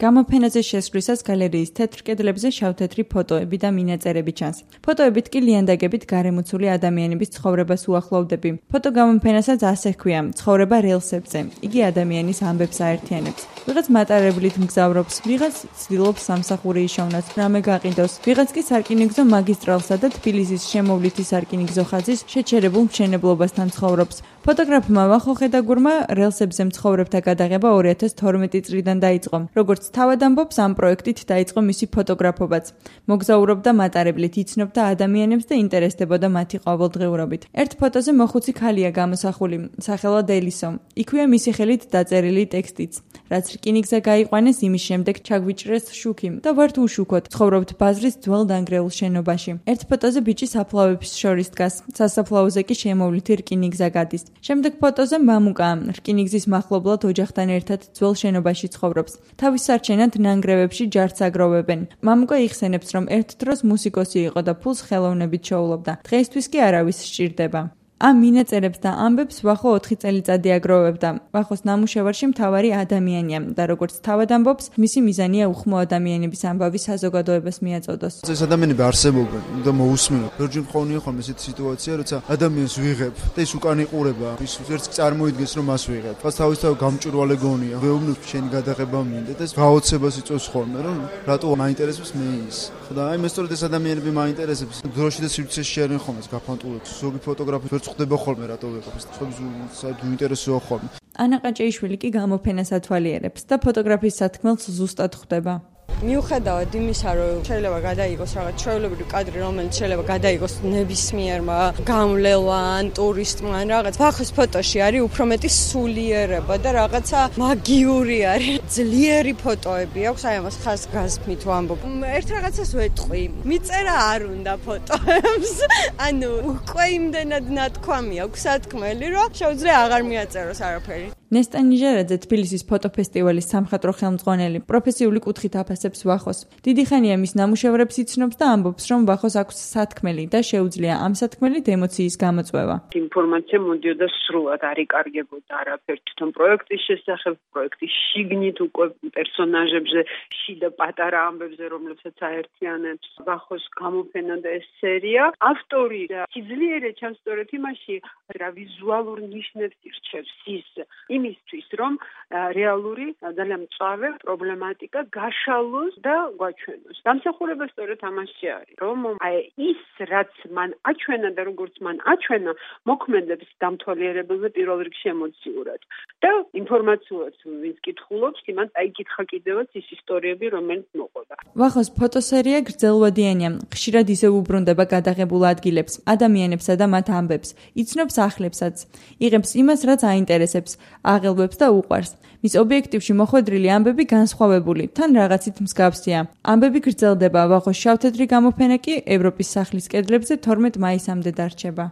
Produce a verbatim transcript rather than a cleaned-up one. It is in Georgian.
გამოფენაზე შესვლისას გალერეის თეთრ კედლებზე შავ-თეთრი ფოტოები და მინაწერები ჩანს. ფოტოებით კი ლიანდაგებით გარემოცული ადამიანების ცხოვრებას უახლოვდები. ფოტო გამოფენასაც ასე ჰქვია: ცხოვრება რელსებზე. იგი ადამიანის ამბებს აერთიანებს. ვიღაც მატარებლით მგზავრობს, ვიღაც ცდილობს სამსახური იშოვნოს, რამე გაყიდოს, ვიღაც კი სარკინიგზო მაგისტრალსა და თბილისის შემოვლითი სარკინიგზო ხაზის შეჩერებულ მშენებლობასთან ცხოვრობს. ფოტოგრაფმა ვახო ხედაგურმა რელსებზე მცხოვრებთა გადაღება ორი ათას თორმეტი წლიდან დაიწყო. როგორც თავად ამბობს, ამ პროექტით დაიწყო მისი ფოტოგრაფობაც. მოგზაურობდა მატარებლით, იცნობდა ადამიანებს და ინტერესდებოდა მათი ყოველდღიურობით. ერთ ფოტოზე მოხუცი ქალია გამოსახული, სახელად ელისო. იქვეა მისი ხელით დაწერილი ტექსტიც. რაც რკინიგზა გაიყვანეს, იმის შემდეგ ჩაგვიჭრეს შუქი და ვართ უშუქოთ. ცხოვრობთ ბაზრის ძველ დანგრეულ შენობაში. ერთ ფოტოზე ბიჭი საფლავების შორის დგას. სასაფლაოზე კი შემოვლითი რკინიგზა გადის. შემდეგ ფოტოზე მამუკა რკინიგზის მახლობლად ოჯახთან ერთად ძველ შენობაში ცხოვრობს. თავის სარჩენად ნანგრევებში ჯარც აგროვებენ. მამუკა იხსენებს, რომ ერთ დროს მუსიკოსი იყო და ფულს ხელოვნებით შოულობდა. დღეისთვის კი არავის სჭირდება. ამ მინაწერებს და ამბებს ვახო ოთხი წელიწადი აგროვებდა. ვახოს ნამუშევარში მთავარი ადამიანია და როგორც თავად ამბობს, მისი მიზანია უხმო ადამიანების ამბავი საზოგადოებას მიაწოდოს. ეს ადამიანები არსებობენ და მოусმინოთ. ჯორჯი მქონია ხოლმე ესეთი სიტუაცია, როცა ადამიანს ვიღებ და ის უკან იყურება, ის ერთს წარმოიდგენს, რომ მას ვიღებ. ფას თავისთავად გამჭვირვალე გონია. ვეუბნებ შენი გადაღება მინდა და ეს გაოცებას იწვევს ხოლმე, რომ რატო მაინტერესებს მე ის. და აი მე სწორედ ეს ადამიანები მაინტერესებს. დროში და სივრცეში შეერენ ხოლმე ეს გაფანტულებს. ზოგი ფოტოგრაფი ვერ ხდება ხოლმე რატო ვეყავს. ხობს საერთოდ უინტერესოა ხოლმე. ანა ყაჭეიშვილი კი გამოფენას ათვალიერებს და ფოტოგრაფიის სათქმელს ზუსტად ხვდება. მიუხედავად იმისა, რომ შეიძლება გადაიღოს რაღაც ჩვეულებრივი კადრი, რომელიც შეიძლება გადაიღოს ნებისმიერმა გამვლელან, ტურისტმა, რაღაც ვახოს ფოტოში არის უფრო მეტი სულიერება და რაღაცა მაგიური არის. ძლიერი ფოტოები აქვს, აი ამას ხას გასმით ვამბობ. ერთ რაღაცას ვეტყვი, მიწერა არ უნდა ფოტოებს. ანუ უკვე იმდენად ნათქვამი აქვს სათქმელი, რომ შეუძლია აღარ მიაწეროს არაფერი. ნესტა ნიჟერაძე თბილისის ფოტოფესტივალის სამხატვრო ხელმძღვანელი პროფესიული კუთხით აფასებს ვახოს. დიდი ხანია მის ნამუშევრებს იცნობს და ამბობს, რომ ვახოს აქვს სათქმელი და შეუძლია ამ სათქმელით ემოციის გამოწვევა. ინფორმაცია მოდიოდა სრულად, არ იკარგებოდა არაფერი თვითონ პროექტის შესახებ, პროექტის შიგნით უკვე პერსონაჟებზე, შიდა პატარა ამბებზე, რომლებსაც აერთიანებს ვახოს გამოფენა და ეს სერია. ავტორი სიძლიერე ჩანს სწორედ იმაში, რა ვიზუალურ ნიშნებს ირჩევს ის იმისთვის, რომ რეალური ძალიან მწვავე პრობლემატიკა გაშალოს და გვაჩვენოს. დამსახურება სწორედ ამაში არის, რომ აი ის, რაც მან აჩვენა და როგორც მან აჩვენა, მოქმედებს დამთვალიერებელზე პირველ რიგში ემოციურად. და ინფორმაციულად ვინც კითხულობს, იმას აიკითხა კიდევაც ის ისტორიები, რომელიც მოყოდა. ვახოს ფოტოსერია გრძელვადიანია, ხშირად ისევ უბრუნდება გადაღებულ ადგილებს, ადამიანებსა და მათ ამბებს, იცნობს ახლებსაც, იღებს იმას, რაც აინტერესებს, აღელვებს და უყვარს. მის ობიექტივში მოხვედრილი ამბები განსხვავებული, თან რაღაცით მსგავსია. ამბები გრძელდება, ვახოს შავ-თეთრი გამოფენა კი ევროპის სახლის კედლებზე თორმეტ მაისამდე დარჩება.